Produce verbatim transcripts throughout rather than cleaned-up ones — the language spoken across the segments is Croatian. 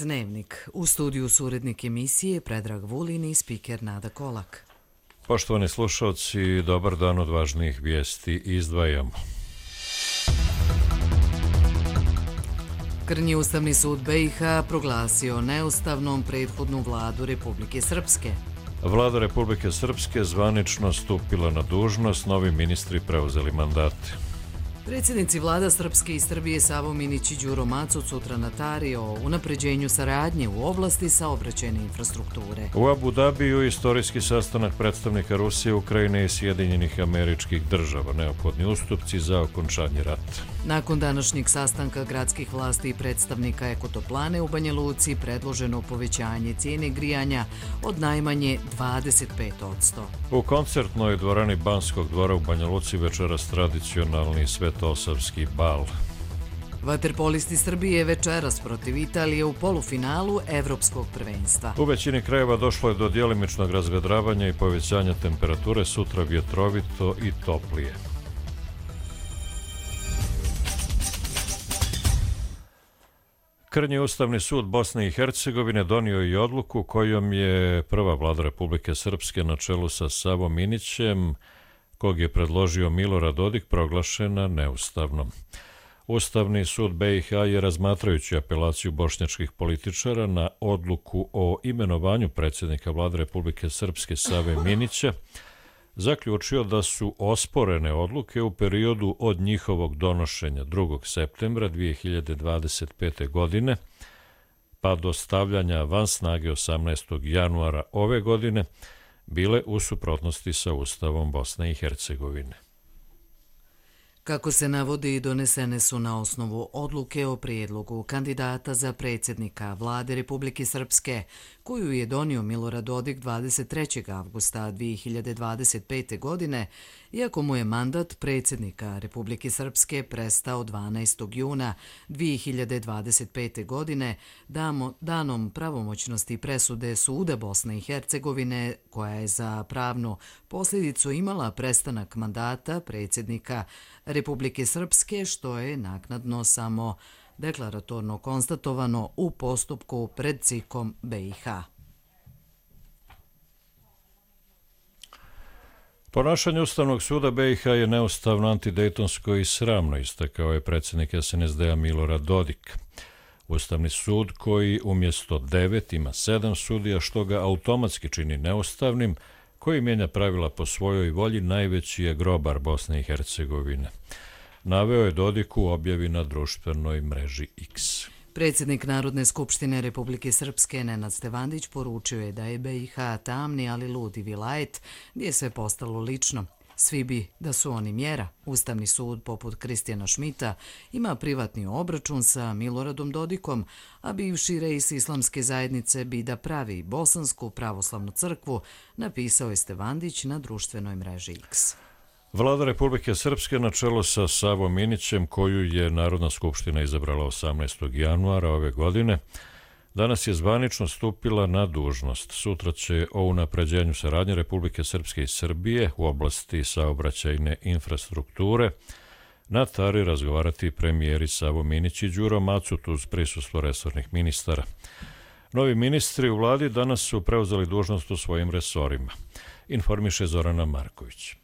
Dnevnik. U studiju su urednik emisije Predrag Vulin i spiker Nada Kolak. Poštovani slušalci, dobar dan, od važnijih vijesti izdvajamo. Krnji Ustavni sud B i H proglasio neustavnom prethodnu vladu Republike Srpske. Vlada Republike Srpske zvanično stupila na dužnost, novi ministri preuzeli mandate. Predsjednici vlada Srpske i Srbije Savo Minić i Đuro Macot sutra na Tari o unapređenju saradnje u oblasti saobraćajne infrastrukture. U Abu Dabiju istorijski sastanak predstavnika Rusije, Ukrajine i Sjedinjenih Američkih Država, neophodni ustupci za okončanje rata. Nakon današnjeg sastanka gradskih vlasti i predstavnika Ekotoplane u Banja Luci predloženo povećanje cijene grijanja od najmanje dvadeset pet posto. U koncertnoj dvorani Banskog dvora u Banja Luci večeras tradicionalni Svetosavski bal. Vaterpolisti Srbije večeras protiv Italije u polufinalu Evropskog prvenstva. U većini krajeva došlo je do djelimičnog razvedravanja i povećanja temperature, sutra vjetrovito i toplije. Krnji Ustavni sud Bosne i Hercegovine donio i odluku kojom je prva vlada Republike Srpske na čelu sa Savom Minićem, kog je predložio Milorad Dodik, proglašena neustavnom. Ustavni sud B i H je, razmatrajući apelaciju bošnjačkih političara na odluku o imenovanju predsjednika vlade Republike Srpske Save Minića, zaključio da su osporene odluke u periodu od njihovog donošenja drugog septembra dvije hiljade dvadeset pete. godine pa do stavljanja van snage osamnaestog januara ove godine bile u suprotnosti sa Ustavom Bosne i Hercegovine. Kako se navodi, donesene su na osnovu odluke o prijedlogu kandidata za predsjednika vlade Republike Srpske, koju je donio Milorad Dodik dvadeset trećeg avgusta dvije hiljade dvadeset pete. godine, iako mu je mandat predsjednika Republike Srpske prestao dvanaestog juna dvije hiljade dvadeset pete. godine damo, danom pravomoćnosti presude Suda Bosne i Hercegovine, koja je za pravnu posljedicu imala prestanak mandata predsjednika Republike Srpske, što je naknadno samo deklaratorno konstatovano u postupku pred C I K-om B i H. Ponašanje Ustavnog suda B i H je neustavno, antidejtonsko i sramno, istakao je predsjednik S N S D-a Milorad Dodik. Ustavni sud, koji umjesto devet ima sedam sudija, što ga automatski čini neustavnim, koji mijenja pravila po svojoj volji, najveći je grobar Bosne i Hercegovine. Naveo je Dodik u objavi na društvenoj mreži X. Predsjednik Narodne skupštine Republike Srpske Nenad Stevandić poručio je da je B i H tamni, ali ludi vilajet, gdje je sve postalo lično. Svi bi da su oni mjera. Ustavni sud, poput Kristijana Šmita, ima privatni obračun sa Miloradom Dodikom, a bivši reis islamske zajednice bi da pravi Bosansku pravoslavnu crkvu, napisao je Stevandić na društvenoj mreži X. Vlada Republike Srpske na čelu sa Savom Minićem, koju je Narodna skupština izabrala osamnaestog januara ove godine, danas je zvanično stupila na dužnost. Sutra će o unapređenju saradnje Republike Srpske i Srbije u oblasti saobraćajne infrastrukture na Tari razgovarati premijeri Savo Minić i Đuro Macot uz prisustvo resornih ministara. Novi ministri u vladi danas su preuzeli dužnost u svojim resorima, informiše Zorana Marković.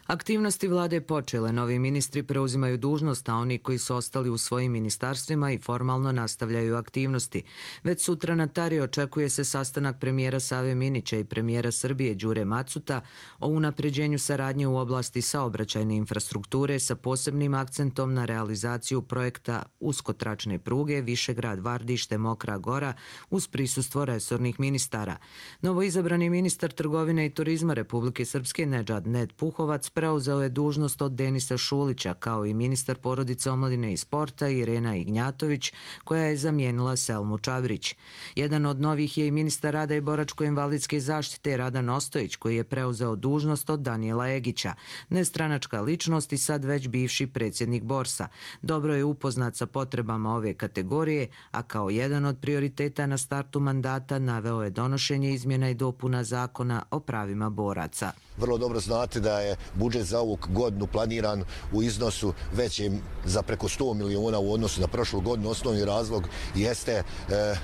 Aktivnosti vlade počele, novi ministri preuzimaju dužnost, a oni koji su ostali u svojim ministarstvima i formalno nastavljaju aktivnosti. Već sutra na Tari očekuje se sastanak premijera Save Minića i premijera Srbije Đure Macota o unapređenju saradnje u oblasti saobraćajne infrastrukture sa posebnim akcentom na realizaciju projekta uskotračne pruge Višegrad-Vardište Mokra Gora uz prisustvo resornih ministara. Novoizabrani ministar trgovine i turizma Republike Srpske Nedžad Ned Puhovac preuzeo je dužnost od Denisa Šulića, kao i ministar porodice, omladine i sporta Irena Ignjatović, koja je zamijenila Selmu Čavrić. Jedan od novih je i ministar rada i boračko-invalidske zaštite Radan Ostojić, koji je preuzeo dužnost od Danijela Egića, nestranačka ličnost i sad već bivši predsjednik Borsa. Dobro je upoznat sa potrebama ove kategorije, a kao jedan od prioriteta na startu mandata naveo je donošenje izmjena i dopuna zakona o pravima boraca. vrlo dobro znate da je budžet za ovu godinu planiran u iznosu većem za preko sto miliona u odnosu na prošlu godinu. Osnovni razlog jeste e,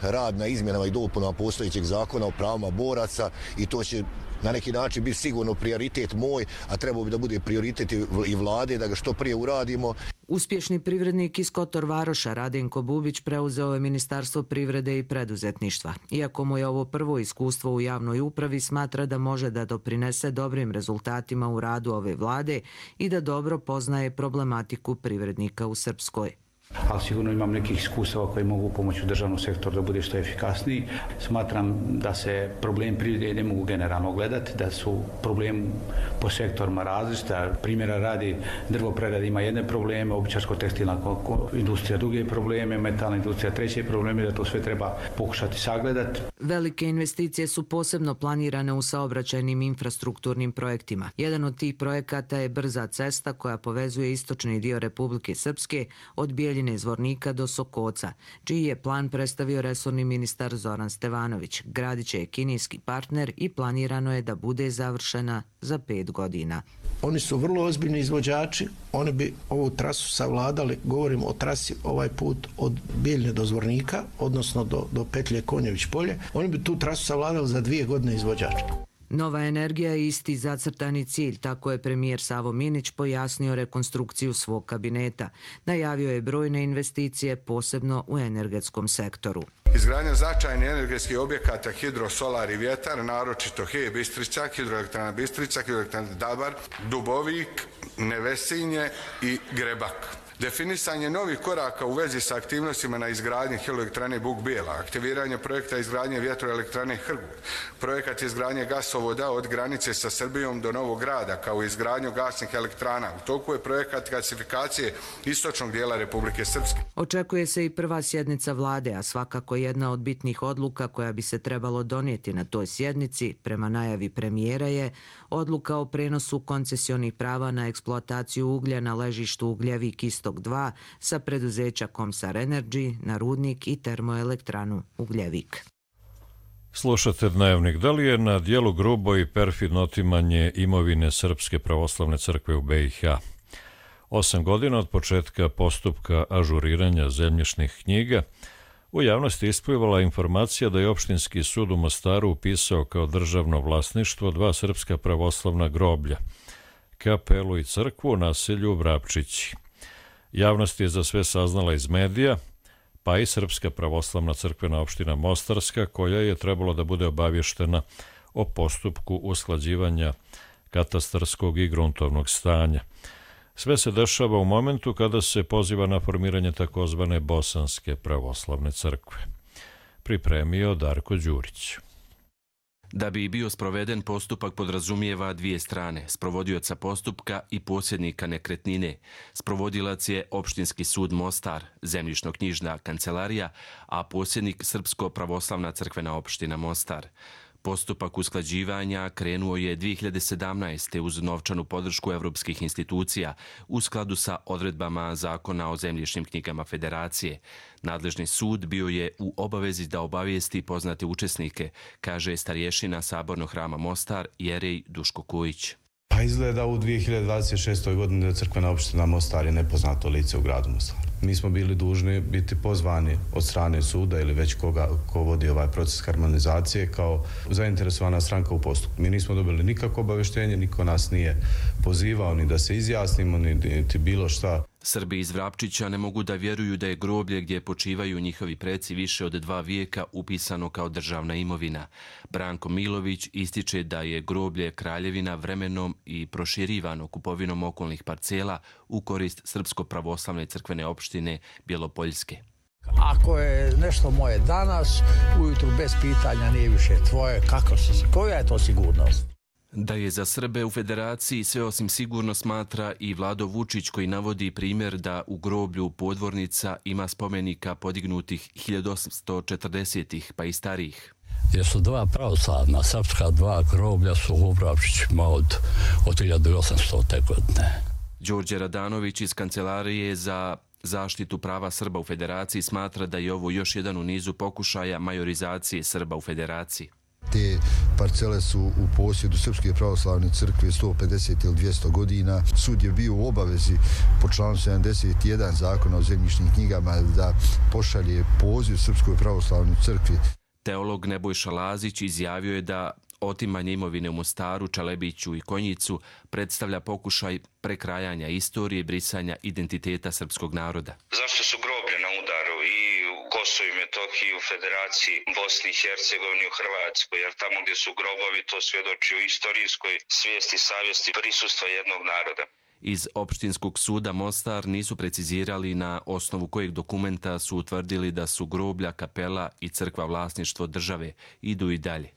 rad na izmjenama i dopunama postojećeg zakona o pravima boraca i to će na neki način biti sigurno prioritet moj, a trebao bi da bude prioritet i vlade da ga što prije uradimo. Uspješni privrednik iz Kotor Varoša Radenko Bubić preuzeo je Ministarstvo privrede i preduzetništva. Iako mu je ovo prvo iskustvo u javnoj upravi, smatra da može da doprinese dobrim rezultatima u radu ove vlade i da dobro poznaje problematiku privrednika u Srpskoj. Ali sigurno imam nekih iskustava koji mogu pomoći u državnom sektoru da bude što efikasniji. Smatram da se problem privrede ne mogu generalno gledati, da su problem po sektorima različiti. Primjera radi, drvoprerada ima jedne probleme, obućarsko-tekstilna industrija druge probleme, metalna industrija treće probleme, da to sve treba pokušati sagledati. Velike investicije su posebno planirane u saobraćajnim infrastrukturnim projektima. Jedan od tih projekata je brza cesta koja povezuje istočni dio Republike Srpske od Bijeljine Zvornika do Sokoca, čiji je plan predstavio resorni ministar Zoran Stevanović. Gradić je kineski partner i planirano je da bude završena za pet godina. Oni su vrlo ozbiljni izvođači, oni bi ovu trasu savladali, govorimo o trasi ovaj put od Bijeljine do Zvornika, odnosno do, do petlje Konjević polje, oni bi tu trasu savladali za dvije godine izvođača. Nova energija je isti zacrtani cilj, tako je premijer Savo Minić pojasnio rekonstrukciju svog kabineta. Najavio je brojne investicije, posebno u energetskom sektoru. Izgradnja značajnih energetskih objekata hidro, solar i vjetar, naročito H E Bistrica, hidroelektrana Bistrica, hidroelektrana Dabar, Dubovik, Nevesinje i Grebak. Definisanje novih koraka u vezi sa aktivnostima na izgradnji hidroelektrane Buk Bijela, aktiviranje projekta izgradnje vjetroelektrane Hrgut, projekat izgradnje gasovoda od granice sa Srbijom do Novog Grada, kao i izgradnju gasnih elektrana. U toku je projekat gasifikacije istočnog dijela Republike Srpske. Očekuje se i prva sjednica vlade, a svakako jedna od bitnih odluka koja bi se trebalo donijeti na toj sjednici, prema najavi premijera, je odluka o prenosu koncesionih prava na eksploataciju uglja na ležištu Ugljevik Istok dva sa preduzeća Komsar Energy na rudnik i termoelektranu Ugljevik. Slušate Dnevnik. Da li je na dijelu grubo i perfidno otimanje imovine Srpske pravoslavne crkve u B i H? Osam godina od početka postupka ažuriranja zemljišnih knjiga, u javnosti isplivala informacija da je opštinski sud u Mostaru upisao kao državno vlasništvo dva srpska pravoslavna groblja, kapelu i crkvu u naselju Vrapčići. Javnost je za sve saznala iz medija, pa i Srpska pravoslavna crkvena opština Mostarska, koja je trebalo da bude obavještena o postupku usklađivanja katastarskog i gruntovnog stanja. Sve se dešava u momentu kada se poziva na formiranje takozvane Bosanske pravoslavne crkve. Pripremio Darko Đurić. Da bi bio sproveden, postupak podrazumijeva dvije strane, sprovodioca postupka i posjednika nekretnine. Sprovodilac je Opštinski sud Mostar, zemljišno-knjižna kancelarija, a posjednik Srpsko pravoslavna crkvena opština Mostar. Postupak usklađivanja krenuo je dvije hiljade sedamnaeste. uz novčanu podršku evropskih institucija u skladu sa odredbama Zakona o zemljišnim knjigama Federacije. Nadležni sud bio je u obavezi da obavijesti poznate učesnike, kaže starješina Sabornog hrama Mostar Jerej Duško Kojić. Pa izgleda u dvije hiljade dvadeset šestoj. godini crkvena opština Mostar je nepoznato lice u gradu Mostaru. Mi smo bili dužni biti pozvani od strane suda ili već koga ko vodi ovaj proces harmonizacije kao zainteresovana stranka u postupku. Mi nismo dobili nikakvo obavještenje, niko nas nije pozivao ni da se izjasnimo, niti bilo šta. Srbi iz Vrapčića ne mogu da vjeruju da je groblje gdje počivaju njihovi preci više od dva vijeka upisano kao državna imovina. Branko Milović ističe da je groblje kraljevina vremenom i proširivano kupovinom okolnih parcela u korist Srpsko pravoslavne crkvene opštine Bjelopoljske. Ako je nešto moje danas, ujutru bez pitanja nije više tvoje, kako se, koja je to sigurnost? Da je za Srbe u Federaciji sve osim sigurno smatra i Vlado Vučić, koji navodi primjer da u groblju Podvornica ima spomenika podignutih hiljadu osamsto četrdesetih pa i starijih. Jer su dva pravoslavna srpska dva groblja su u Vrapčićima od, od hiljadu osamstote. godine. Đorđe Radanović iz Kancelarije za zaštitu prava Srba u Federaciji smatra da je ovo još jedan u nizu pokušaja majorizacije Srba u Federaciji. Te parcele su u posjedu Srpske pravoslavne crkve sto pedeset ili dvjesto godina. Sud je bio u obavezi po članu sedamdeset jedan Zakona o zemljišnim knjigama da pošalje poziv Srpskoj pravoslavnoj crkvi. Teolog Nebojša Lazić izjavio je da otimanje imovine u Mostaru, Čalebiću i Konjicu predstavlja pokušaj prekrajanja istorije i brisanja identiteta srpskog naroda. Zašto su groblje na udaru i u Kosovu i Metohiji, u Federaciji, Bosni i Hercegovini, u Hrvatskoj, jer tamo gdje su grobovi to svjedoči o istorijskoj svijesti, savjesti, prisustva jednog naroda. Iz Opštinskog suda Mostar nisu precizirali na osnovu kojeg dokumenta su utvrdili da su groblja, kapela i crkva vlasništvo države. Idu i dalje.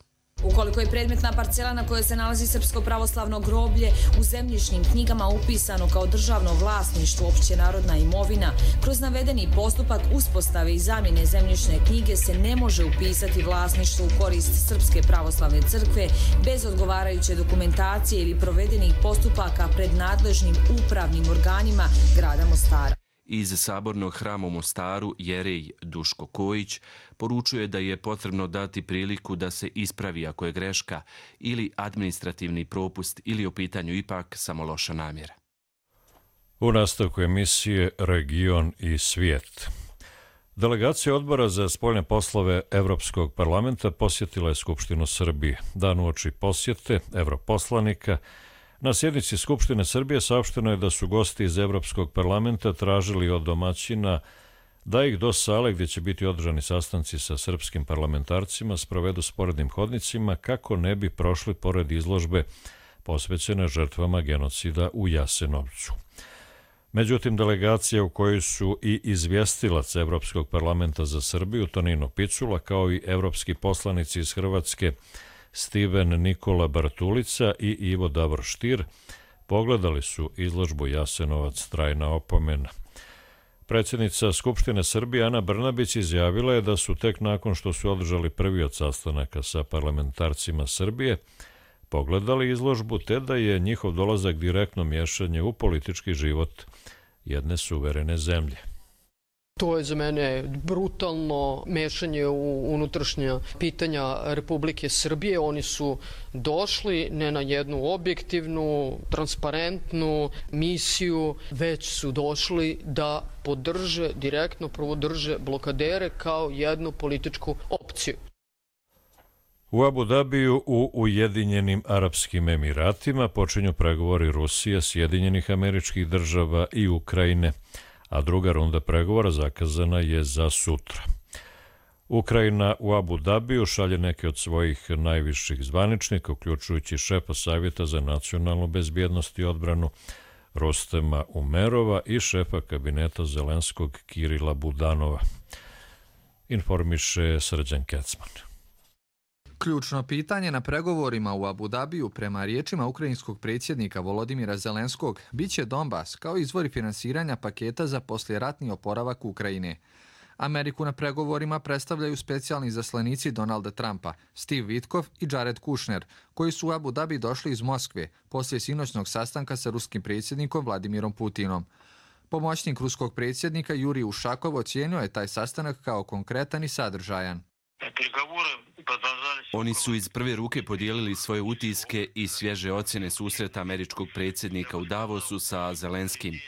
Ukoliko je predmetna parcela na kojoj se nalazi Srpsko pravoslavno groblje u zemljišnim knjigama upisano kao državno vlasništvo, općenarodna imovina, kroz navedeni postupak uspostave i zamjene zemljišne knjige se ne može upisati vlasništvo u korist Srpske pravoslavne crkve bez odgovarajuće dokumentacije ili provedenih postupaka pred nadležnim upravnim organima grada Mostara. Iz Sabornog hrama u Mostaru jerej Duško Kojić poručuje da je potrebno dati priliku da se ispravi ako je greška ili administrativni propust ili u pitanju ipak samo loša namjera. U nastavku emisije Region i svijet. Delegacija Odbora za spoljne poslove Evropskog parlamenta posjetila je Skupštinu Srbije. Dan uoči posjete evroposlanika na sjednici Skupštine Srbije saopšteno je da su gosti iz Evropskog parlamenta tražili od domaćina da ih do sale gdje će biti održani sastanci sa srpskim parlamentarcima sprovedu sporednim hodnicima kako ne bi prošli pored izložbe posvećene žrtvama genocida u Jasenovcu. Međutim, delegacija u kojoj su i izvjestilac Evropskog parlamenta za Srbiju Tonino Picula kao i evropski poslanici iz Hrvatske Stiven Nikola Bartulica i Ivo Davor Štir pogledali su izložbu Jasenovac trajna opomena. Predsjednica Skupštine Srbije Ana Brnabić izjavila je da su tek nakon što su održali prvi od sastanaka sa parlamentarcima Srbije pogledali izložbu te da je njihov dolazak direktno miješanje u politički život jedne suverene zemlje. To je za mene brutalno mešanje u unutrašnja pitanja Republike Srbije. Oni su došli ne na jednu objektivnu, transparentnu misiju, već su došli da podrže, direktno podrže blokadere kao jednu političku opciju. U Abu Dabiju u Ujedinjenim Arapskim Emiratima počinju pregovori Rusije, Sjedinjenih Američkih Država i Ukrajine, a druga runda pregovora zakazana je za sutra. Ukrajina u Abu Dabiju šalje neke od svojih najviših zvaničnika, uključujući šefa Savjeta za nacionalnu bezbjednost i odbranu Rostema Umerova i šefa kabineta Zelenskog Kirila Budanova. Informiše Srđan Kecman. Ključno pitanje na pregovorima u Abu Dabiju prema riječima ukrajinskog predsjednika Volodimira Zelenskog biće Donbas kao izvori finansiranja paketa za poslijeratni oporavak Ukrajine. Ameriku na pregovorima predstavljaju specijalni zaslanici Donalda Trumpa, Steve Witkoff i Jared Kushner, koji su u Abu Dhabi došli iz Moskve poslije sinoćnog sastanka sa ruskim predsjednikom Vladimirom Putinom. Pomoćnik ruskog predsjednika Jurij Ušakov ocijenio je taj sastanak kao konkretan i sadržajan. Oni su iz prve ruke podijelili svoje utiske i svježe ocjene susreta američkog predsjednika u Davosu sa Zelenskim.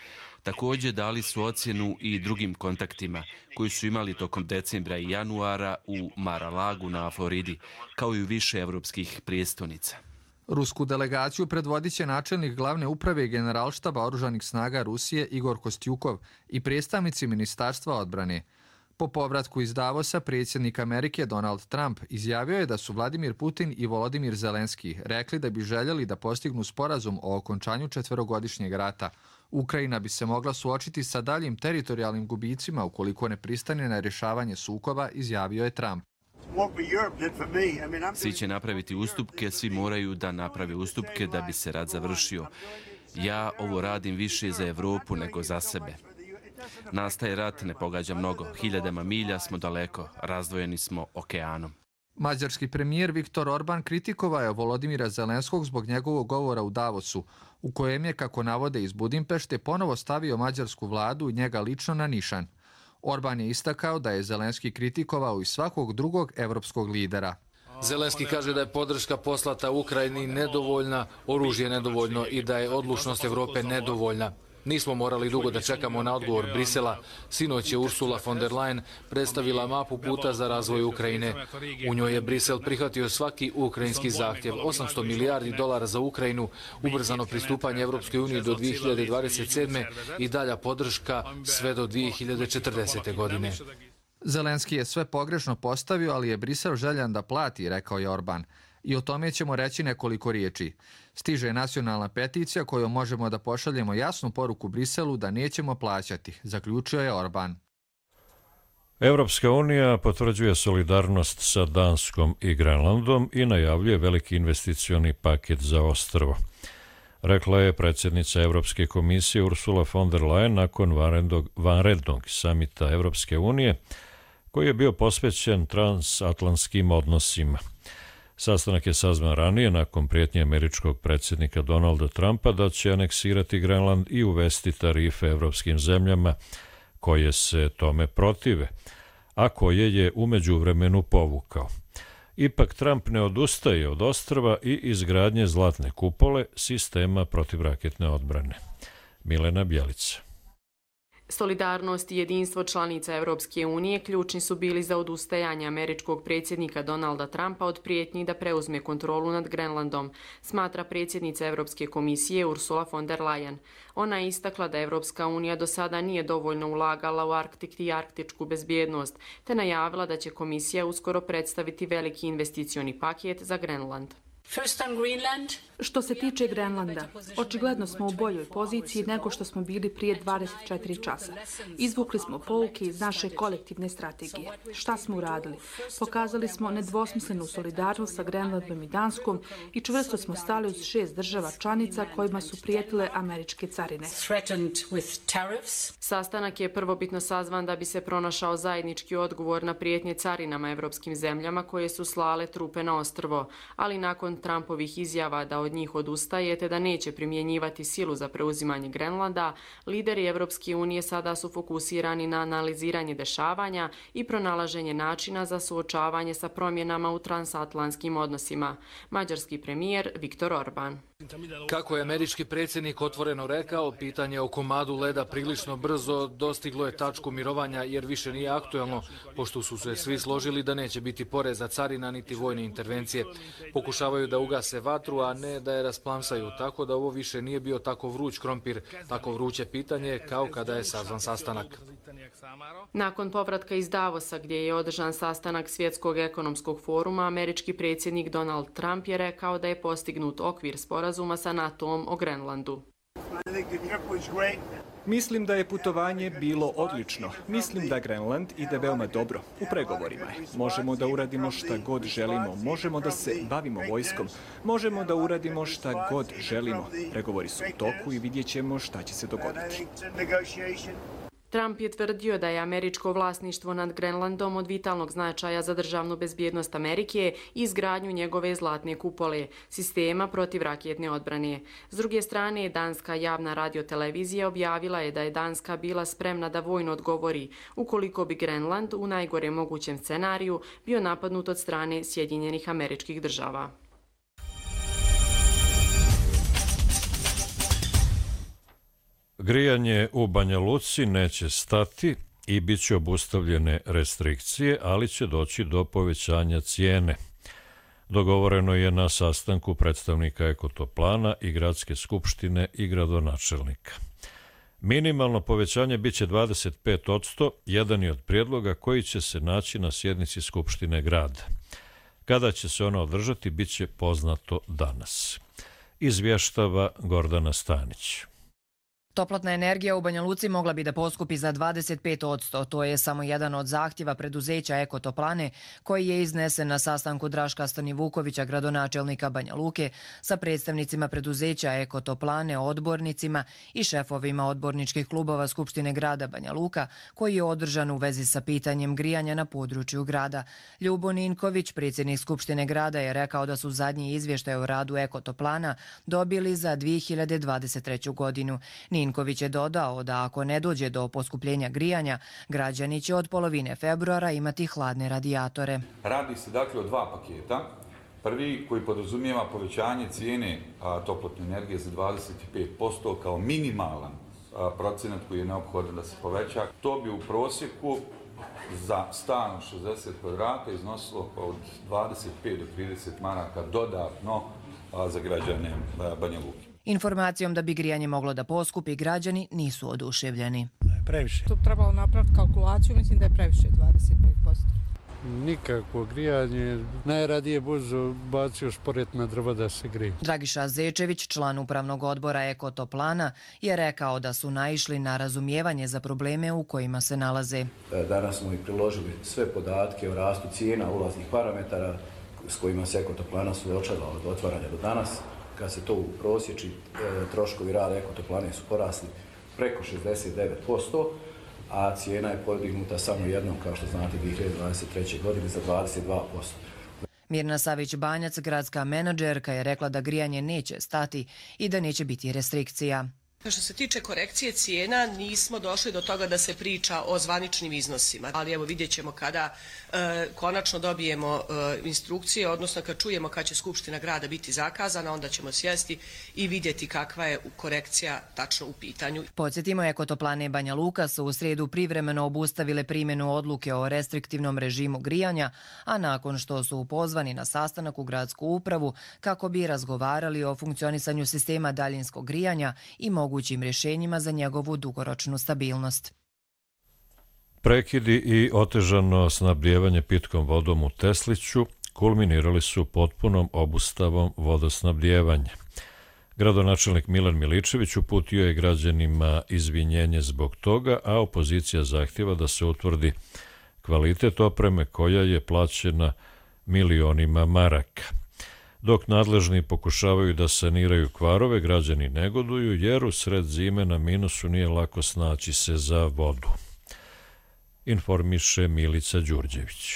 Također dali su ocjenu i drugim kontaktima koji su imali tokom decembra i januara u Mar-a-Lagu na Floridi, kao i u više evropskih prijestolnica. Rusku delegaciju predvodit će načelnik glavne uprave generalštaba oružanih snaga Rusije Igor Kostjukov i predstavnici Ministarstva odbrane. Po povratku iz Davosa, predsjednik Amerike Donald Trump izjavio je da su Vladimir Putin i Volodimir Zelenski rekli da bi željeli da postignu sporazum o okončanju četverogodišnjeg rata. Ukrajina bi se mogla suočiti sa daljim teritorijalnim gubicima ukoliko ne pristane na rješavanje sukoba, izjavio je Trump. Svi će napraviti ustupke, svi moraju da naprave ustupke da bi se rat završio. Ja ovo radim više za Evropu nego za sebe. Nastaje rat, ne pogađa mnogo. Hiljadama milja smo daleko, razdvojeni smo okeanom. Mađarski premijer Viktor Orban kritikovao je Volodimira Zelenskog zbog njegovog govora u Davosu, u kojem je, kako navode iz Budimpešte, ponovo stavio mađarsku vladu i njega lično na nišan. Orban je istakao da je Zelenski kritikovao i svakog drugog evropskog lidera. Zelenski kaže da je podrška poslata Ukrajini nedovoljna, oružje nedovoljno i da je odlučnost Evrope nedovoljna. Nismo morali dugo da čekamo na odgovor Brisela. Sinoć je Ursula von der Leyen predstavila mapu puta za razvoj Ukrajine. U njoj je Brisel prihvatio svaki ukrajinski zahtjev. osamsto milijardi dolara za Ukrajinu, ubrzano pristupanje Evropskoj uniji do dvije hiljade dvadeset sedme i dalja podrška sve do dvije hiljade četrdesete godine. Zelenski je sve pogrešno postavio, ali je Brisel željan da plati, rekao je Orban. I o tome ćemo reći nekoliko riječi. Stiže nacionalna peticija kojom možemo da pošaljemo jasnu poruku Briselu da nećemo plaćati, zaključio je Orban. Evropska unija potvrđuje solidarnost sa Danskom i Grenlandom i najavljuje veliki investicioni paket za ostrvo. Rekla je predsjednica Evropske komisije Ursula von der Leyen nakon vanrednog, vanrednog samita Evropske unije, koji je bio posvećen transatlantskim odnosima. Sastanak je sazvan ranije nakon prijetnje američkog predsjednika Donalda Trumpa da će aneksirati Grenland i uvesti tarife evropskim zemljama koje se tome protive, a koje je u međuvremenu povukao. Ipak Trump ne odustaje od ostrva i izgradnje zlatne kupole, sistema protivraketne odbrane. Milena Bjelica. Solidarnost i jedinstvo članica Evropske unije ključni su bili za odustajanje američkog predsjednika Donalda Trumpa od prijetnji da preuzme kontrolu nad Grenlandom, smatra predsjednica Evropske komisije Ursula von der Leyen. Ona je istakla da Evropska unija do sada nije dovoljno ulagala u Arktik i arktičku bezbjednost, te najavila da će komisija uskoro predstaviti veliki investicioni paket za Grenland. Što se tiče Grenlanda, očigledno smo u boljoj poziciji nego što smo bili prije dvadeset četiri časa. Izvukli smo pouke iz naše kolektivne strategije. Šta smo uradili? Pokazali smo nedvosmislenu solidarnost sa Grenlandom i Danskom i čvrsto smo stali uz šest država članica kojima su prijetile američke carine. Sastanak je prvobitno sazvan da bi se pronašao zajednički odgovor na prijetnje carinama evropskim zemljama koje su slale trupe na ostrvo, ali nakon Trumpovih izjava da od njih odustaje te da neće primjenjivati silu za preuzimanje Grenlanda, lideri Evropske unije sada su fokusirani na analiziranje dešavanja i pronalaženje načina za suočavanje sa promjenama u transatlantskim odnosima. Mađarski premijer Viktor Orban. Kako je američki predsjednik otvoreno rekao, pitanje o komadu leda prilično brzo dostiglo je tačku mirovanja jer više nije aktuelno, pošto su se svi složili da neće biti poreza carina niti vojne intervencije. Pokušavaju da ugase vatru, a ne da je rasplamsaju, tako da ovo više nije bio tako vruć krompir, tako vruće pitanje kao kada je sazvan sastanak. Nakon povratka iz Davosa gdje je održan sastanak Svjetskog ekonomskog foruma, američki predsjednik Donald Trump je rekao da je postignut okvir sporazuma sa NATO-om o Grenlandu. Mislim da je putovanje bilo odlično. Mislim da Grenland ide veoma dobro. U pregovorima je. Možemo da uradimo šta god želimo. Možemo da se bavimo vojskom. Možemo da uradimo šta god želimo. Pregovori su u toku i vidjet ćemo šta će se dogoditi. Trump je tvrdio da je američko vlasništvo nad Grenlandom od vitalnog značaja za državnu bezbjednost Amerike i izgradnju njegove zlatne kupole, sistema protivraketne odbrane. S druge strane, danska javna radiotelevizija objavila je da je Danska bila spremna da vojno odgovori ukoliko bi Grenland u najgore mogućem scenariju bio napadnut od strane Sjedinjenih Američkih Država. Grijanje u Banja Luci neće stati i bit će obustavljene restrikcije, ali će doći do povećanja cijene. Dogovoreno je na sastanku predstavnika Ekotoplana i Gradske skupštine i gradonačelnika. Minimalno povećanje bit će dvadeset pet posto, jedan je od prijedloga koji će se naći na sjednici Skupštine grada. Kada će se ona održati, bit će poznato danas. Izvještava Gordana Stanić. Toplotna energija u Banja Luci mogla bi da poskupi za dvadeset pet posto. To je samo jedan od zahtjeva preduzeća Ekotoplane koji je iznesen na sastanku Draška Stanivukovića, gradonačelnika Banja Luke, sa predstavnicima preduzeća Ekotoplane, odbornicima i šefovima odborničkih klubova Skupštine grada Banja Luka, koji je održan u vezi sa pitanjem grijanja na području grada. Ljubo Ninković, predsjednik Skupštine grada, je rekao da su zadnji izvještaj o radu Ekotoplana dobili za dvije hiljade dvadeset treću godinu. Ninković je dodao da ako ne dođe do poskupljenja grijanja, građani će od polovine februara imati hladne radijatore. Radi se dakle o dva paketa. Prvi koji podrazumijeva povećanje cijene toplotne energije za dvadeset pet posto kao minimalan procenat koji je neophodan da se poveća. To bi u prosjeku za stan od šezdeset kvadrata iznosilo od dvadeset pet do trideset maraka dodatno za građane Banja Luke. Informacijom da bi grijanje moglo da poskupi, građani nisu oduševljeni. Previše. Tu trebalo napraviti kalkulaciju, mislim da je previše dvadeset pet posto. Nikakvo grijanje, najradije buzu bacio šporet na drva da se grije. Dragiša Zečević, član upravnog odbora Ekotoplana, je rekao da su naišli na razumijevanje za probleme u kojima se nalaze. Danas smo i priložili sve podatke o rastu cijena ulaznih parametara s kojima se Ekotoplana suočava od otvaranja do danas. Kad se to uprosječi, troškovi rada Ekotoplane su porasli preko šezdeset devet posto, a cijena je podignuta samo jednom, kao što znate, dvije hiljade dvadeset treće. godine za dvadeset dva posto. Mirna Savić-Banjac, gradska menadžerka, je rekla da grijanje neće stati i da neće biti restrikcija. Što se tiče korekcije cijena, nismo došli do toga da se priča o zvaničnim iznosima, ali evo vidjet ćemo kada e, konačno dobijemo e, instrukcije, odnosno kad čujemo kad će Skupština grada biti zakazana, onda ćemo sjesti i vidjeti kakva je korekcija tačno u pitanju. Podsjetimo, Ekotoplane Banja Luka su u srijedu privremeno obustavile primjenu odluke o restriktivnom režimu grijanja, a nakon što su pozvani na sastanak u gradsku upravu kako bi razgovarali o funkcionisanju sistema daljinskog grijanja i mogućim rješenjima za njegovu dugoročnu stabilnost. Prekidi i otežano snabdijevanje pitkom vodom u Tesliću kulminirali su potpunom obustavom vodosnabdijevanja. Gradonačelnik Milan Miličević uputio je građanima izvinjenje zbog toga, a opozicija zahtjeva da se utvrdi kvalitet opreme koja je plaćena milionima maraka. Dok nadležni pokušavaju da saniraju kvarove, građani negoduju jer u sred zime na minusu nije lako snaći se za vodu. Informiše Milica Đurđević.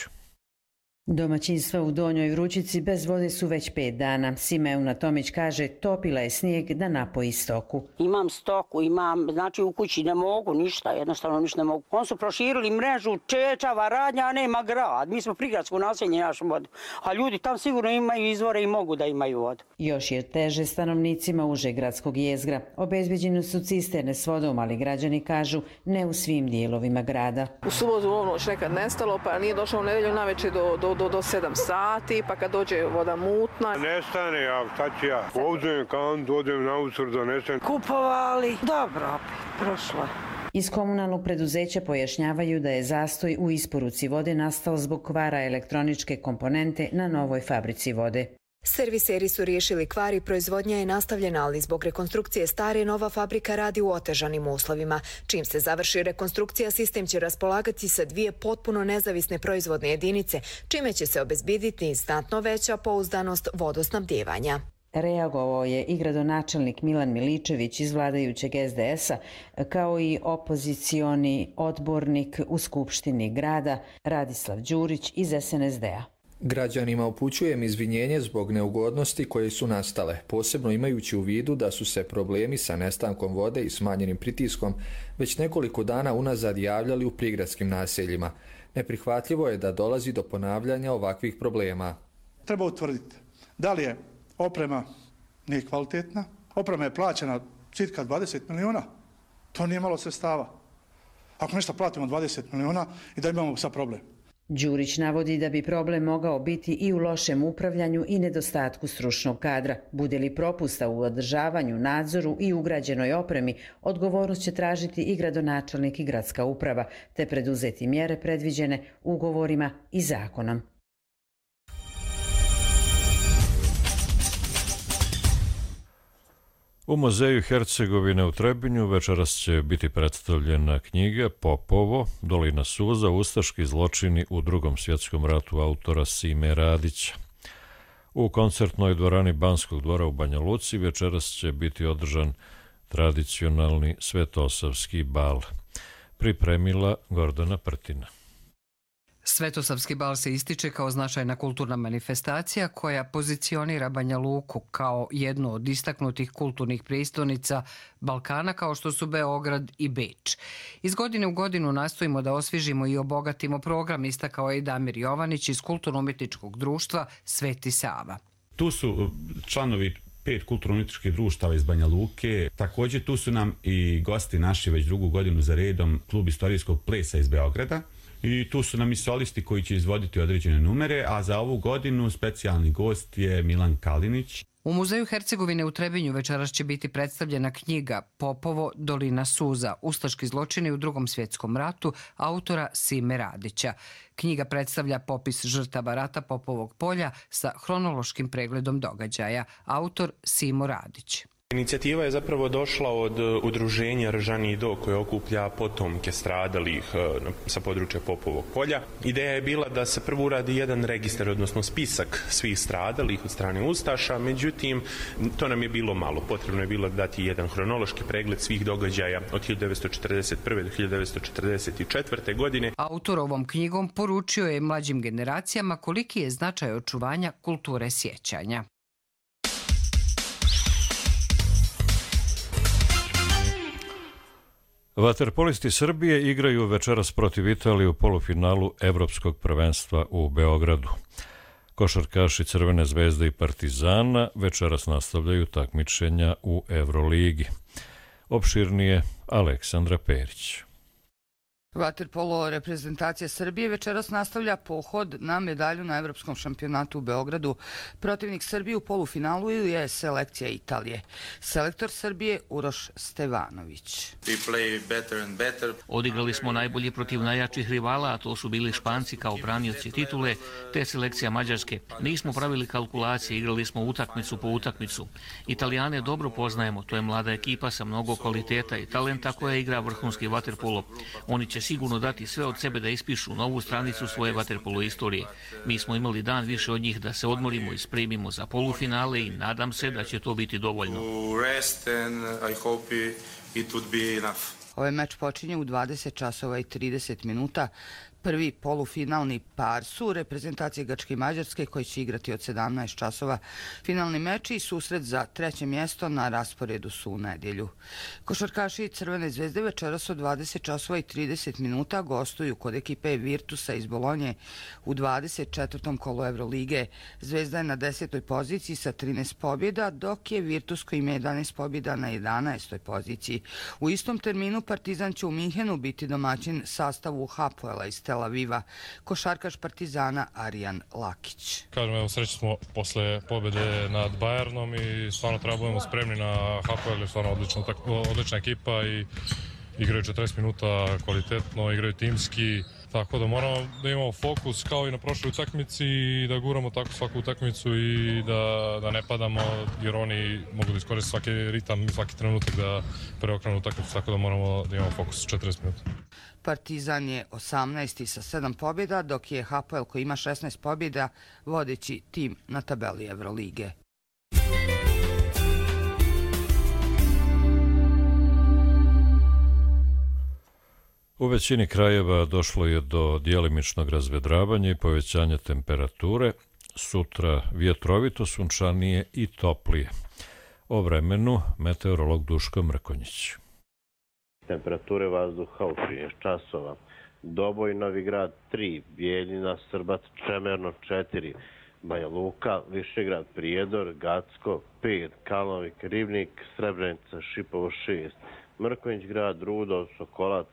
Domaćinstva u Donjoj Vrućici bez vode su već pet dana. Simeuna Tomić kaže, topila je snijeg da napoji stoku. Imam stoku, imam, znači u kući ne mogu ništa, jednostavno ništa ne mogu. Oni su proširili mrežu, čečava, radnja, a nema grad. Mi smo prigradsko naselje našu vodu. A ljudi tam sigurno imaju izvore i mogu da imaju vodu. Još je teže stanovnicima užeg gradskog jezgra. Obezbeđene su cisterne s vodom, ali građani kažu ne u svim dijelovima grada. U subotu u noć nekad nestalo, pa nije došlo u nedelju navečer do, do Do, do sedam sati, pa kad dođe voda mutna. Nestane, ja, šta ću ja? Ovdje kantu, odem na usur, donesem. Kupovali, dobro, prošlo. Iz komunalnog preduzeća pojašnjavaju da je zastoj u isporuci vode nastao zbog kvara elektroničke komponente na novoj fabrici vode. Serviseri su riješili kvar i proizvodnja je nastavljena, ali zbog rekonstrukcije stare nova fabrika radi u otežanim uslovima. Čim se završi rekonstrukcija, sistem će raspolagati sa dvije potpuno nezavisne proizvodne jedinice, čime će se obezbediti znatno veća pouzdanost vodosnabdijevanja. Reagovao je i gradonačelnik Milan Miličević iz vladajućeg es de es a, kao i opozicioni odbornik u Skupštini grada Radislav Đurić iz es en es de a. Građanima upućujem izvinjenje zbog neugodnosti koje su nastale, posebno imajući u vidu da su se problemi sa nestankom vode i smanjenim pritiskom već nekoliko dana unazad javljali u prigradskim naseljima. Neprihvatljivo je da dolazi do ponavljanja ovakvih problema. Treba utvrditi da li je oprema nije kvalitetna, oprema je plaćena cirka dvadeset miliona, to nije malo sredstava. Ako nešto platimo dvadeset miliona i da imamo sad problem. Đurić navodi da bi problem mogao biti i u lošem upravljanju i nedostatku stručnog kadra. Bude li propusta u održavanju, nadzoru i ugrađenoj opremi, odgovornost će tražiti i gradonačelnik i gradska uprava, te preduzeti mjere predviđene ugovorima i zakonom. U muzeju Hercegovine u Trebinju večeras će biti predstavljena knjiga Popovo, Dolina suza, ustaški zločini u Drugom svjetskom ratu autora Sime Radića. U koncertnoj dvorani Banskog dvora u Banja Luci večeras će biti održan tradicionalni svetosavski bal. Pripremila Gordana Prtina. Svetosavski bal se ističe kao značajna kulturna manifestacija koja pozicionira Banja Luku kao jednu od istaknutih kulturnih prijestolnica Balkana kao što su Beograd i Beč. Iz godine u godinu nastojimo da osvježimo i obogatimo program, istakao je i Damir Jovanić iz Kulturno-umjetničkog društva Sveti Sava. Tu su članovi pet kulturno-umjetničkih društava iz Banja Luke. Također tu su nam i gosti naši već drugu godinu za redom klub istorijskog plesa iz Beograda. I tu su nam i solisti koji će izvoditi određene numere, a za ovu godinu specijalni gost je Milan Kalinić. U Muzeju Hercegovine u Trebinju večeras će biti predstavljena knjiga Popovo, Dolina suza, ustaški zločini u Drugom svjetskom ratu, autora Sime Radića. Knjiga predstavlja popis žrtava rata Popovog polja sa hronološkim pregledom događaja, autor Simo Radić. Inicijativa je zapravo došla od udruženja Ržani do koje okuplja potomke stradalih sa područja Popovog polja. Ideja je bila da se prvo uradi jedan registar, odnosno spisak svih stradalih od strane ustaša, međutim to nam je bilo malo. Potrebno je bilo dati jedan hronološki pregled svih događaja od hiljadu devetsto četrdeset prve. do hiljadu devetsto četrdeset četvrte. godine. Autor ovom knjigom poručio je mlađim generacijama koliki je značaj očuvanja kulture sjećanja. Vaterpolisti Srbije igraju večeras protiv Italije u polufinalu Evropskog prvenstva u Beogradu. Košarkaši Crvene zvezde i Partizana večeras nastavljaju takmičenja u Evroligi. Opširnije Aleksandra Perić. Vaterpolo reprezentacija Srbije večeras nastavlja pohod na medalju na Evropskom šampionatu u Beogradu. Protivnik Srbije u polufinalu je selekcija Italije. Selektor Srbije Uroš Stevanović. Odigrali smo najbolje protiv najjačih rivala, a to su bili Španci kao branioci titule, te selekcija Mađarske. Nismo pravili kalkulacije, igrali smo utakmicu po utakmicu. Italijane dobro poznajemo, to je mlada ekipa sa mnogo kvaliteta i talenta koja igra vrhunski vaterpolo. Oni će sigurno dati sve od sebe da ispišu novu stranicu svoje vaterpolo istorije. Mi smo imali dan više od njih da se odmorimo i spremimo za polufinale i nadam se da će to biti dovoljno. Ovaj meč počinje u dvadeset časova i trideset minuta. Prvi polufinalni par su reprezentacije Grčke i Mađarske koji će igrati od sedamnaest časova. Finalni meč i susret za treće mjesto na rasporedu su u nedjelju. Košarkaši Crvene zvezde večeras od dvadeset časova i trideset minuta gostuju kod ekipe Virtusa iz Bolonje u dvadeset četvrtom kolu Evrolige. Zvezda je na desetoj poziciji sa trinaest pobjeda, dok je Virtus koji ima jedanaest pobjeda na jedanaestoj poziciji. U istom terminu Partizan će u Minhenu biti domaćin sastavu Hapoela iz Tel Aviva, košarkaš Partizana Arijan Lakić. Kažem, evo, sreći smo posle pobjede nad Bayernom i stvarno treba budemo spremni na Hapoel, je stvarno odlična, odlična ekipa i igraju četrdeset minuta kvalitetno, igraju timski, tako da moramo da imamo fokus kao i na prošloj utakmici i da guramo tako svaku utakmicu i da, da ne padamo, jer oni mogu da iskoriste svaki ritam i svaki trenutak da preokrenu utakmicu, tako da moramo da imamo fokus četrdeset minuta. Partizan je osamnaesti sa sedam pobjeda, dok je Hapoel koji ima šesnaest pobjeda vodeći tim na tabeli Evrolige. U većini krajeva došlo je do djelimičnog razvedravanja i povećanja temperature. Sutra vjetrovito, sunčanije i toplije. O vremenu meteorolog Duško Mrkonjić. Temperature vazduha u trinaest časova. Doboj, Novi Grad tri, Bijeljina, Srbac, Čemerno četiri, Banja Luka, Višegrad, Prijedor, Gacko pet, Kalnovik, Ribnik, Srebrenica, Šipovo šest, Mrkonjić grad, Rudo, Sokolac,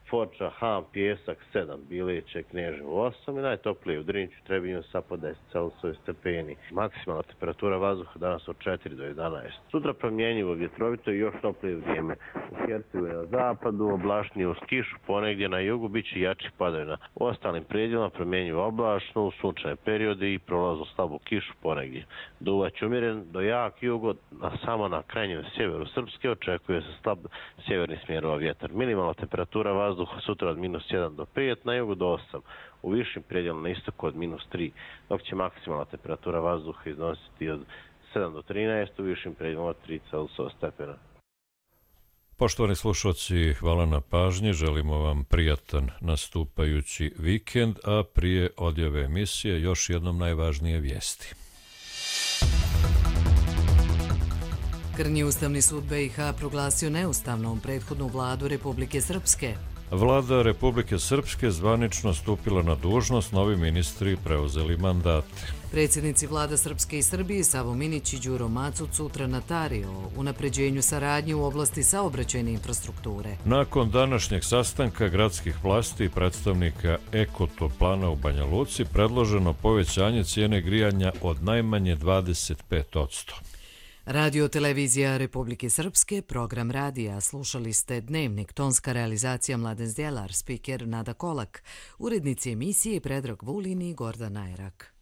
Foča, Ham, Pjesak sedam, Bileće, Kneževo osam i najtoplije u Drinću, Trebinju sa po deset Celsijusa stepeni. Maksimalna temperatura vazduha danas od četiri do jedanaest. Sutra promjenjivo, vjetrovito i još toplije vrijeme. U Hercegovini na zapadu, oblačnije uz kišu, ponegdje na jugu bit će jačih padavina. U ostalim predjelima promjenjivo oblačno, u sunčane periode i prolaznu slabu kišu ponegdje. Duvać umjeren do jak jugo, a samo na krajnjem sjeveru Srpske očekuje se slab sjeverni smjerova vjetar. Minimalna temperatura vazduha sutra od minus jedan do pet, na jugu do osam, u višim predjelima na istoku od minus tri, dok će maksimalna temperatura vazduha iznositi od sedam do trinaest, u višim predjelima od tri Celsijusa stepena. Poštovani slušalci, hvala na pažnji, želimo vam prijatan nastupajući vikend, a prije odjave emisije još jednom najvažnije vijesti. Krnji Ustavni sud B i H proglasio neustavnom prethodnu vladu Republike Srpske. Vlada Republike Srpske zvanično stupila na dužnost, novi ministri preuzeli mandate. Predsjednici vlada Srpske i Srbije Savo Minić i Đuro Macuc sutra na Tari o unapređenju saradnje u oblasti saobraćajne infrastrukture. Nakon današnjeg sastanka gradskih vlasti i predstavnika Ekotoplana u Banja Luci predloženo povećanje cijene grijanja od najmanje dvadeset pet posto. Radio televizija Republike Srpske, program radija, slušali ste Dnevnik, tonska realizacija Mladen Zdjelar, spiker Nada Kolak, urednici emisije Predrag Vulin i Gordan Najrak.